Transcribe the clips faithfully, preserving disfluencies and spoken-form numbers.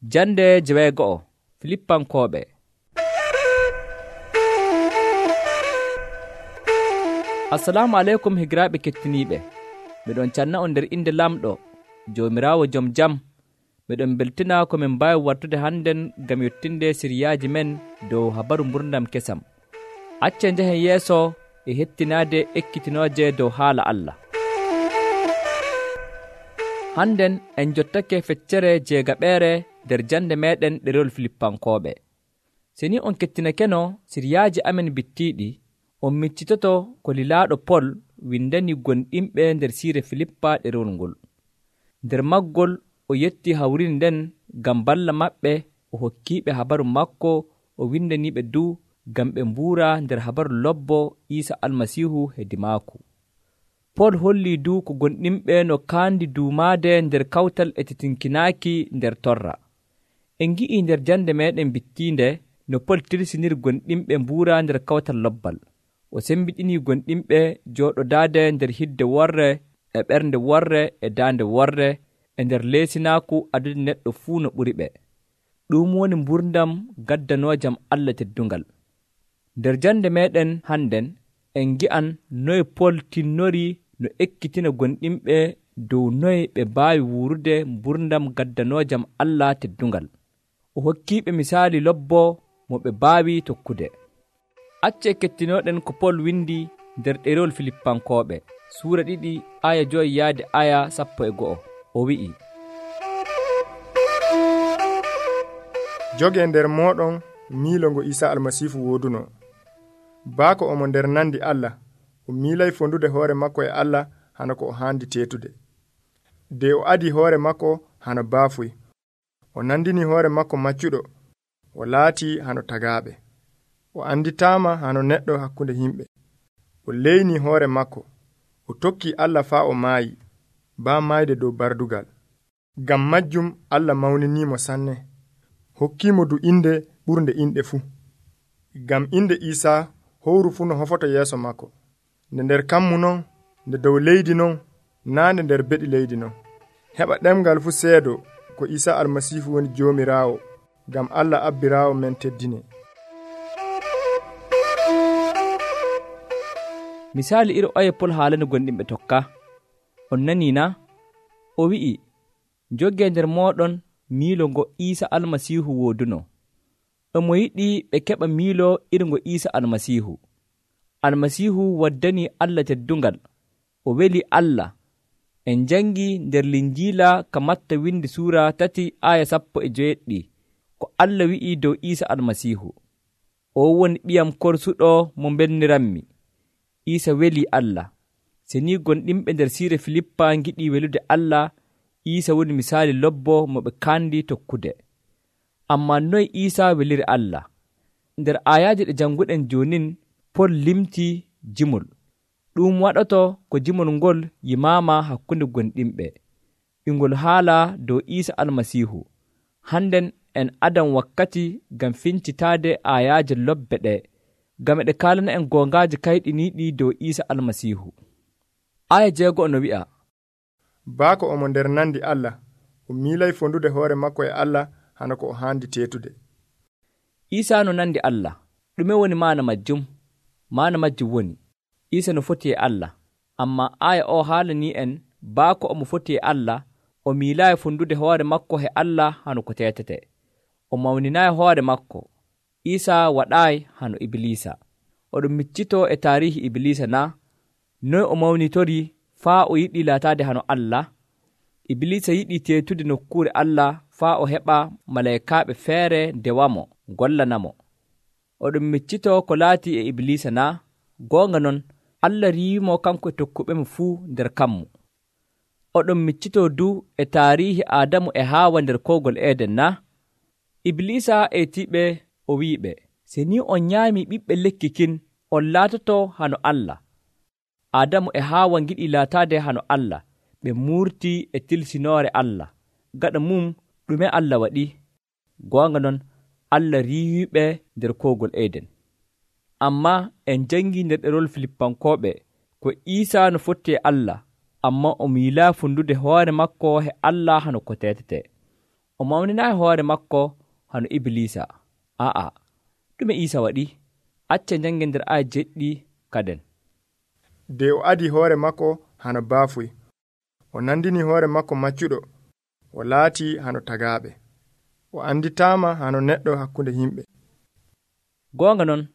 Jande jeweego'o Filippankooɓe. Assalamu aleykum higiraaɓe kettiniiɓe. Miɗon canna on nder inde lamɗo Joomiraawo jom jam. Miɗon beltina ko min mbaawi wartude hannden ngam yottinde siriyaaji men dow habaru mburdam kesam. Accen njehen yeeso e hettinaade ekkitinooje dow haala Allah. Hannden en jottake feccere jeegaɓeere nder jande meeɗen ɗerewol Filippankooɓe. Se ni on kettinakeno siriyaaji amen bittiiɗi, on miccitoto ko lilaaɗo Pol windani gonɗinɓe nder siire Filippa ɗerewol ngol. Nder maggol o yetti hawrinde nden ngam balla maɓɓe, o hokkiiɓe habaru makko, o windaniiɓe du ngam ɓe mbuura nder habaru lobbo Iisa Almasiihu hedi maaku. Pol hollii du ko gonɗinɓe no kaandi duumaade nder kawtal e titinkinaaki nder torra. En ngi'ii nder jande meeɗen bittiinde no Pol tirsiniri gonɗinɓe mbuura nder kawtal lobbal. O sembiɗinii gonɗinɓe jooɗodaade nder hidde worre e ɓernde worre e daande worre e nder leesinaaku adude neɗɗo fuu no ɓuri ɓe. Ɗum woni mburdam gaddanoojam Allah teddungal. Nder jande meeɗen hannden en ngi'an noye Pol tinnori no ekkitina gonɗinɓe dow noye ɓe mbaawi wuurude mburdam gaddanoojam Allah teddungal. O hokkiiɓe misaali lobbo mo ɓe mbaawi tokkude. Acce kettinooɗen ko Pol windi nder ɗerewol Filippankooɓe suura ɗiɗi aya joyi yaade aya sappo e go'o. O wi'i, joge nder moɗon miilo ngo Iisa Almasiihu wooduno. Baako omo nder nandi Allah, o miilay fondude hoore makko e Allah hana ko o haandi teetude. De o adi hoore makko hano baafuy, o nandini hoore makko maccuɗo, o laati hano tagaaɓe. O anditaama hano neɗɗo hakkunde himɓe. O leyni hoore makko, o tokki Allah faa o maayi, baa maayde dow bardugal. Ngam majjum Allah mawniniimo sanne, hokkiimo du inde ɓurnde inɗe fuu. Ngam inde Iisa howru fuu no hofoto yeeso makko, nde nder kammu non, nde dow leydi non, naande nder beɗi leydi non. Heɓa ɗemgal fuu seedo ko Iisa Almasiihu woni Joomiraawo, ngam Allah abbiraawo men teddine. Misaali iri oye Pol haalani gonɗinɓe tokka. On nanii na? O wi'i, jogee nder mooɗon miilo ngo Iisa Almasiihu wooduno. Omo yiɗi ɓe keɓa miilo iri ngo Iisa Almasiihu. Almasiihu waddanii Allah teddungal, o weli Allah. En jangi nder Linjiila ka Matta windi suura tati aya sappo e joweɗɗi ko Allah wi'i dow Iisa Almasiihu, o woni ɓiyam korsuɗo mo belniranmi. Iisa weli Allah. Se ni gonɗinɓe nder siire Filippa ngiɗi welude Allah, Iisa woni misaali lobbo mo ɓe kaandi tokkude. Amma noy Iisa weliri Allah? Nder ayaaje ɗe janguɗen jonin, Pol limti jimol. Ɗum waɗoto ko jimol ngol yimaama hakkunde gonɗinɓe. Ingol haala dow Iisa Almasiihu. Hannden en adan wakkati ngam fincitaade ayaaje lobbe ɗe, ngam eɗe kaalana en gongaaji kayɗiniiɗi dow Iisa Almasiihu. Aya jeego'o no wi'a, baako omo nder nandi Allah, o miilay fondude hoore makko e Allah hana ko o haandi teetude. Iisa no nandi Allah. Ɗume woni maana majjum? Maana majjum woni Iisa no foti e Allah, amma aya o haalanii en baako omo foti e Allah, o miilaayi fondude hoore makko e Allah hano ko teetete. O mawninaayi hoore makko. Iisa waɗaayi hano Ibliisa. Oɗon miccitoo e taarihi Ibliisa na? Noy o mawnitori faa o yiɗi laataade hano Allah? Ibliisa yiɗi teetude nokkuure Allah faa o heɓa malaykaaɓe feere ndewamo gollanamo. Oɗon miccitoo ko laati e Ibliisa na? Goonga non, Allah riiwimo kanko e tokkuɓemo fuu nder kammu. Oɗon miccitoo du e taarihi Aadamu e Haawa nder koogol Eeden na? Ibliisa etiiɓe, o wi'iɓe, se ni on nyaami ɓiɓɓe lekki kin, on laatoto hano Allah. Aadamu e Haawa ngiɗi laataade hano Allah, ɓe muurti e tilsinoore Allah. Gaɗa mum ɗume Allah waɗi? Goonga non, Allah riiwiɓe nder koogol Eeden. Amma en jangi nder ɗerewol Filippankooɓe ko Iisa no fotti e Allah, amma o miilaa fundude hoore makko he Allah hano ko teetete. o mawninaayi hoore makko hano Iblisa. Aa, ɗume Iisa waɗi? Acce njangen nder aya jeɗɗi kaden. De o adi hoore makko hano baafuy, o nandini hoore makko maccuɗo, o laati hano tagaaɓe, o anditaama hano neɗɗo hakkunde himɓe. Goonga non,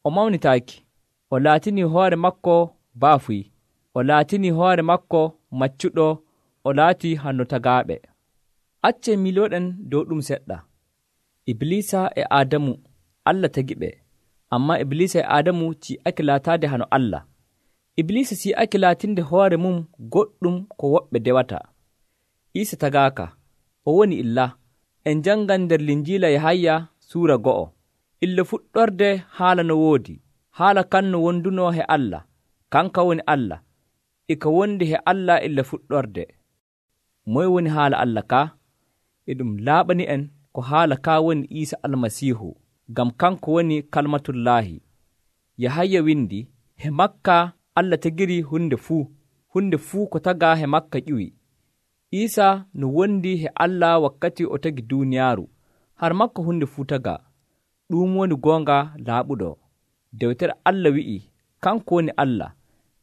o mawnitaaki, o laatini hoore makko baafuy, o laatini hoore makko maccuɗo, o laati hano tagaaɓe. Acce milooɗen dow ɗum seɗɗa. Iblisa e Adamu Allah tagiɓe, amma Iblisa e Adamu ci'ake laataade hano Allah. Iblisa si'ake laatinde hoore mum goɗɗum ko woɓɓe dewata. Iisa tagaaka, o woni illa. En jangan nder Linjiila Yahaya suura go'o. Illa fuɗɗorde haala no woodi, haala kan no wonduno he Allah, kanka woni Allah, e ka wondi he Allah illa fuɗɗorde. Moye woni haala Allah ka? E ɗum laaɓani en ko haala ka woni Iisa Almasiihu, ngam kanko woni kalmatullaahi. Yahaya windi, he makka Allah tagiri hunde fuu, hunde fuu ko tagaa he makka ƴiwi. Iisa no wondi he Allah wakkati o tagi duuniyaaru, har makko hunde fuu tagaa. Ɗum woni goonga laaɓuɗo. Dewtere Allah wi'i, kanko woni Allah,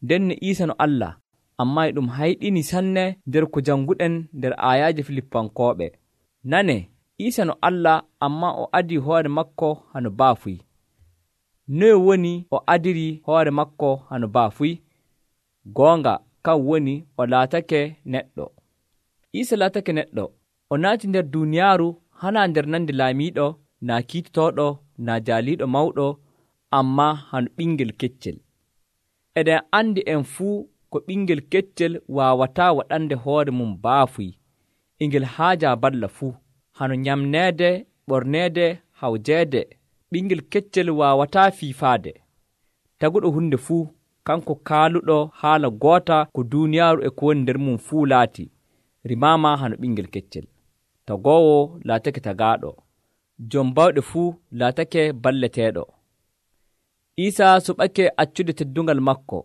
ndenne Iisa no Allah, amma e ɗum hayɗini sanne nder ko janguɗen nder aayaaje Filippankooɓe. Nane, Iisa no Allah, amma o adi hoore makko hano baafuy. Noye woni o adiri hoore makko hano baafuy? Goonga kan woni o laatake neɗɗo. Iisa laatake neɗɗo, o naati nder duuniyaaru hana nder nandi laamiiɗo, naa kiitotooɗo, naa jaaliiɗo mawɗo, amma hano ɓingel keccel. Eɗen andi en fuu ko ɓingel keccel waawataa waɗande hoore mum baafuy, ingel haaja balla fuu, hano nyamneede, ɓorneede, hawjeede. Ɓingel keccel waawataa fiifaade. Taguɗo hunde fuu, kanko kaaluɗo haala goota ko duuniyaaru e ko woni nder mum fuu laati, rimaama hano ɓingel keccel. Tagoowo laatake tagaaɗo, jom bawɗe fuu laatake balleteeɗo. Iisa suɓake accude teddungal makko,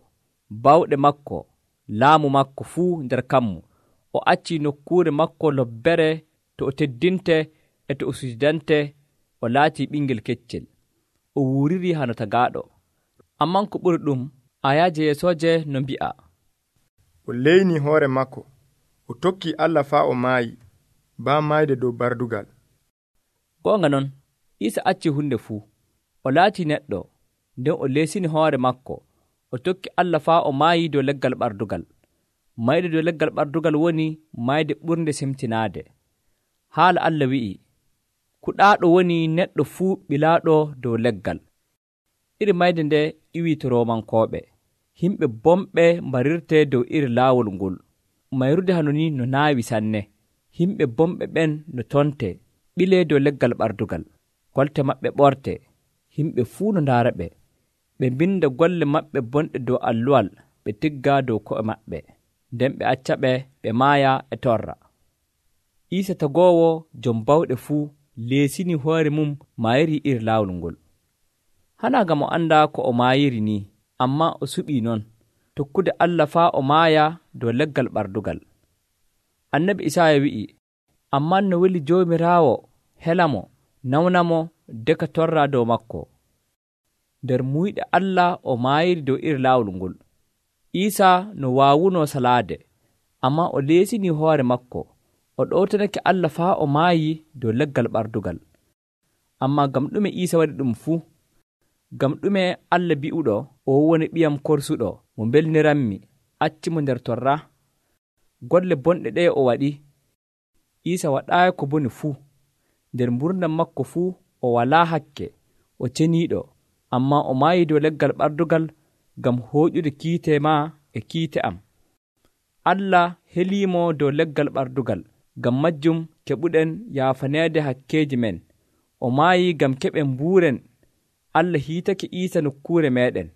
bawɗe makko, laamu makko fuu nder kammu. O acci nokkuure makko lobbere to o teddinte e to o sujudante. O laati ɓingel keccel, o wuuriri hano tagaaɗo. Amman ko ɓuri ɗum, ayaaje yeesooje no mbi'a, o leyni hoore makko, o tokki Allah faa o maayi, baa maayde dow bardugal. Goonga non, Iisa acci hunde fuu, o laati neɗɗo, nden o leesini hoore makko, o tokki Allah faa o maayi dow leggal ɓardugal. Mayde dow leggal ɓardugal woni mayde ɓurnde semtinaade. Haala Allah wi'i, kuɗaaɗo woni neɗɗo fuu ɓilaaɗo dow leggal. Iri mayde nde iwii to Roomankooɓe. Himɓe bomɓe mbarirte dow iri laawol ngol. Mayrude hano ni no naawi sanne. Himɓe bomɓe ɓen no tonte, ɓilee dow leggal ɓardugal. Kolte maɓɓe ɓorte, himɓe fuu no ndaara ɓe. Ɓe mbinda golle maɓɓe bonɗe dow alluwal, ɓe tigga dow ko'e maɓɓe. Nden ɓe acca ɓe, ɓe maaya e torra. Iisa tagoowo jom bawɗe fuu leesini hoore mum maayiri iri laawol ngol. Hana gam o annda ko o maayiri ni, amma o suɓii non, tokkude Allah faa o maaya dow leggal ɓardugal. Annabi Isaaya wi'i, amman no weli Joomiraawo helamo, nawnamo, deka torra dow makko. Nder muyɗe Allah o maayiri dow iri laawol ngol. Iisa no waawuno salaade, amma o leesini hoore makko, o ɗowtanake Allah faa o maayi dow leggal ɓardugal. Amma gam ɗume Iisa waɗi ɗum fuu? Gam ɗume Allah bi'uɗo o woni ɓiyam korsuɗo mo belniranmi, accimo nder torra? Golle bonɗe ɗe o waɗi. Iisa waɗaayi ko boni fuu. Nder mburdam makko fuu o walaa hakke, o ceniiɗo, amma o maayi dow leggal ɓardugal gam hooƴude kiite ma e kiite am. Allah heliimo dow leggal ɓardugal, gam majjum keɓuɗen yaafaneede hakkeeji men. O maayi gam keɓen mbuuren. Allah hiitake Iisa nokkuure meɗen.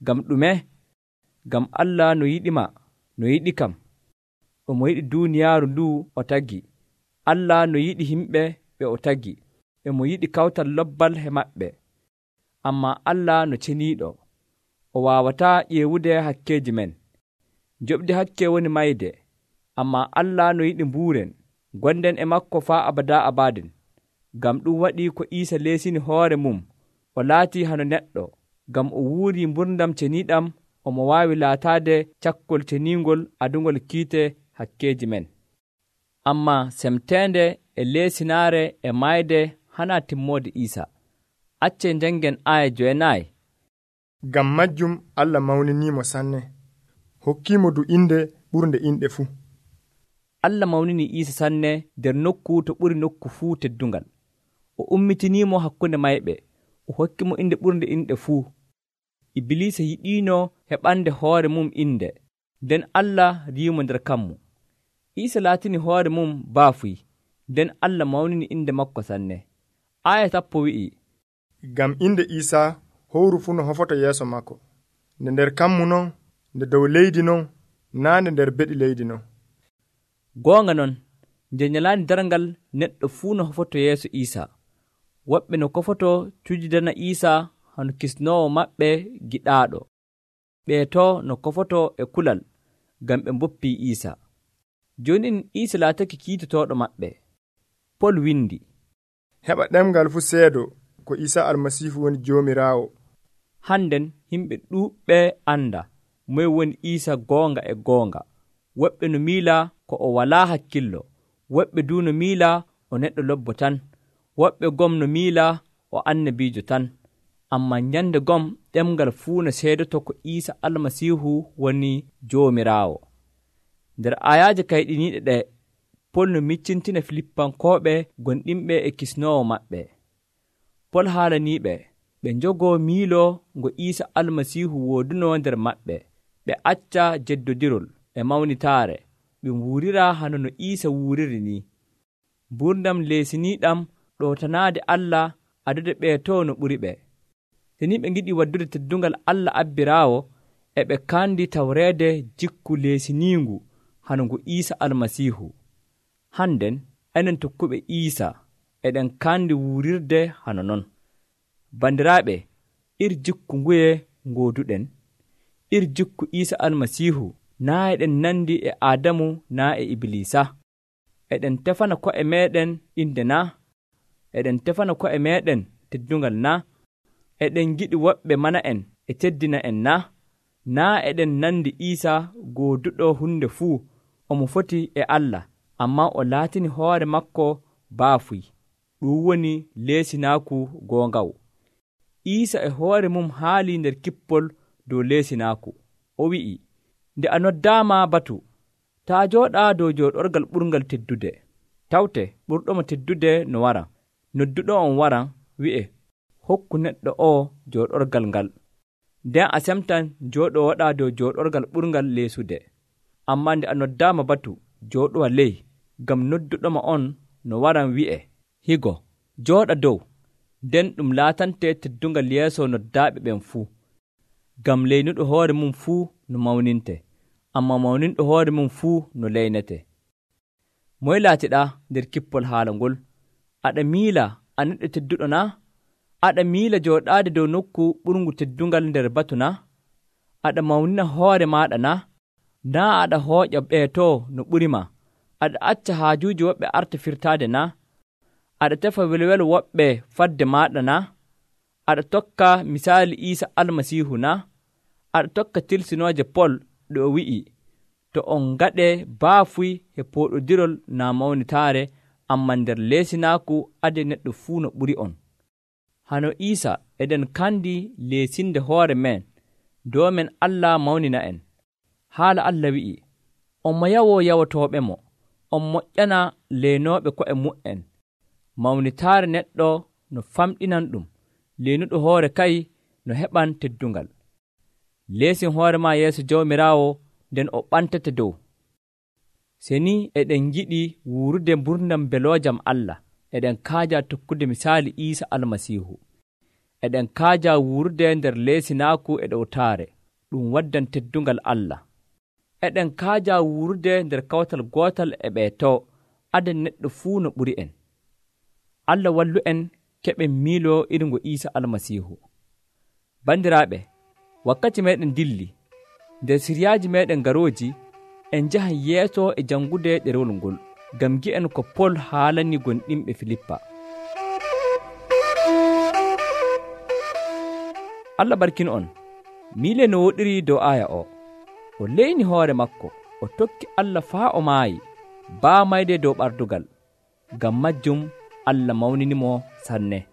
Gam ɗume? Gam Allah no yiɗima, no yiɗi kam. Omo yiɗi duuniyaaru ndu o tagi. Allah no yiɗi himɓe ɓe o tagi. Emo yiɗi kawtal lobbal he maɓɓe. Amma Allah no ceniiɗo, o waawataa ƴeewude hakkeeji men. Joɓde hakke woni mayde, amma Allah no yiɗi mbuuren. gonden e makko faa abada abadin. Ngam ɗum waɗi ko Iisa leesini hoore mum o laatii hano neɗɗo, ngam o wuuri mburdam ceniiɗam omo waawi laataade cakkol ceniingol adungol kiite hakkeeji men. Ammaa semteende e leesinaare e mayde hana timmoode Iisa. Accee njangen aaya jowenayi. Ngam majjum Allah mawniniimo sanne, hokkiimo du inde ɓurnde inɗe fuu. Allah mawnini Iisa sanne nder nokku to ɓuri nokku fuu teddungal. O ummitiniimo hakkunde mayɓe, o hokki mo inde ɓurnde inɗe fuu. Ibilisa yiɗiino heɓande hoore mum inde, nden Allah riimo nder kammu. Iisa laatini hoore mum baafuy, nden Allah mawnini inde makko sanne. Aya tappo wi'i, ngam inde Iisa howru fuu no hofoto yeeso makko, nde nder kammu non, nde dow leydi non, naande nder beɗi leydi non. Goonga non, nde nyalaande darngal neɗɗo fuu no hofoto yeeso Iisa. Woɓɓe no kofoto cujidana Iisa hano kisnoowo maɓɓe giɗaaɗo. Ɓeeto no kofoto e kulal, ngam ɓe mboppii Iisa. Jooni in Iisa laatake kiitotooɗo maɓɓe. Pol windi, heɓa ɗemgal fuu seedo ko Iisa almasiihu woni Joomiraawo. Hannden yimɓe ɗuuɓɓe anda moye woni Iisa goonga e goonga. Woɓɓe no miila ko o walaa hakkillo, woɓɓe duu no miila o neɗɗo lobbo tan, woɓɓe gom no miila o annabiijo tan. Ammaa nyande gom ɗemgal fuu no seedoto ko Iisa almasiihu woni Joomiraawo. Nder ayaaje kayɗiniiɗe ɗe, Pol no miccintina Filippankooɓe gonɗinɓe e kisnoowo maɓɓe. Pol haalaniiɓe ɓe njogoo miilo ngo Iisa almasiihu woodunoo nder maɓɓe, ɓe acca jeddodirol e mawnitaare, ɓe wuurira hano no Iisa wuuriri ni. Mburdam leesiniiɗam ɗootanaade Allah adude ɓeetoo no ɓuri ɓe. So ni ɓe ngiɗi waddude teddungal Allah abbiraawo, e ɓe kandi tawreede jikku leesiniingu hano ngu Iisa almasiihu. Hannden enen tokkuɓe Iisa eɗen kandi wuurirde hano non. Bandiraaɓe, iri jikku nguye ngooduɗen? Iri jikku Iisa almasiihu naa eɗen nandi e Aadamu naa e Ibilisa. Eɗen tefana ko'e meeɗen inde naa? Eɗen tefana ko'e meeɗen teddungal naa? Eɗen giɗi woɓɓe mana en e teddina en naa? Naa eɗen nandi Iisa gooduɗo hunde fuu, omo foti e Allah, ammaa o laatini hoore makko baafuy. Ɗum woni leesinaaku goongawu. Iisa e hoore mum haali nder kippol dow leesinaaku. O wi'i, nde a noddaama batu, taa jooɗaa dow jooɗorgal ɓurngal teddude. Tawte ɓurɗomo teddude no wara. Nodduɗo on waran wi'e, hokku neɗɗo o jooɗorgal ngal. Nden a semtan jooɗowoɗaa dow jooɗorgal ɓurngal leesude. Ammaa nde a noddaama batu, jooɗowa ley, ngam nodduɗoma on no waran wi'e, higo, jooɗa dow. Nden ɗum laatante teddungal yeeso noddaaɓe ɓen fuu. Ngam leynuɗo hoore mum fuu no mawninte, ammaa mawninɗo hoore mum fuu no leynete. Moye laatiɗaa nder kippol haala ngol? Aɗa miila a neɗɗo tedduɗo naa? Aɗa miila jooɗaade dow nokku ɓurngu teddungal nder batu naa? Aɗa mawnina hoore maaɗa naa? Naa aɗa hooƴa ɓeetoo no ɓurima? Aɗa acca haajuuji woɓɓe arta firtaade naa? Aɗa tefa welwelo woɓɓe fadde maaɗa naa? Aɗa tokka misaali Iisa almasiihu naa? Aɗa tokka tilsinooje Pol ɗo o wi'i, to on ngaɗee baafuy e pooɗodirol naa mawnitaare, ammaa nder leesinaaku ade neɗɗo fuu no ɓuri on. Hano Iisa eɗen kandi leesinde hoore men, doomen Allah mawnina en. Haala Allah wi'i, on mo yawoo yawotooɓe mo, on moƴƴana leenooɓe ko'e mu'en. Mawnitaare neɗɗo no famɗinan ɗum, leenuɗo hoore kay no heɓan teddungal. Leesin hoore maa yeeso Jawmiraawo, nden o ɓantete dow. Seni eɗen giɗi wuurude mburdam beloojam Allah, eɗen kaaja tokkude misaali Iisa almasiihu. Eɗen kaaja wuurude nder leesinaaku e ɗowtaare, ɗum waddan teddungal Allah. Eɗen kaaja wuurude nder kawtal gootal e ɓeetoo, aden neɗɗo fuu no ɓuri en. Allah wallu en keɓen miilo iringo Iisa almasiihu. Bandiraaɓe, wakkati meɗen dilli, nder siryaaji meɗen garooji, en njahan yeeso e jangude ɗerewol ngol. ngam gi'en ko Pol haalani gonɗinɓe Filippa. Allah barkin on. Miile no woɗiri dow aya o. O leyni hoore makko, o tokki Allah faa o maayi, baa mayde dow ɓardugal. Ngam majjum Allah mawninimo sanne.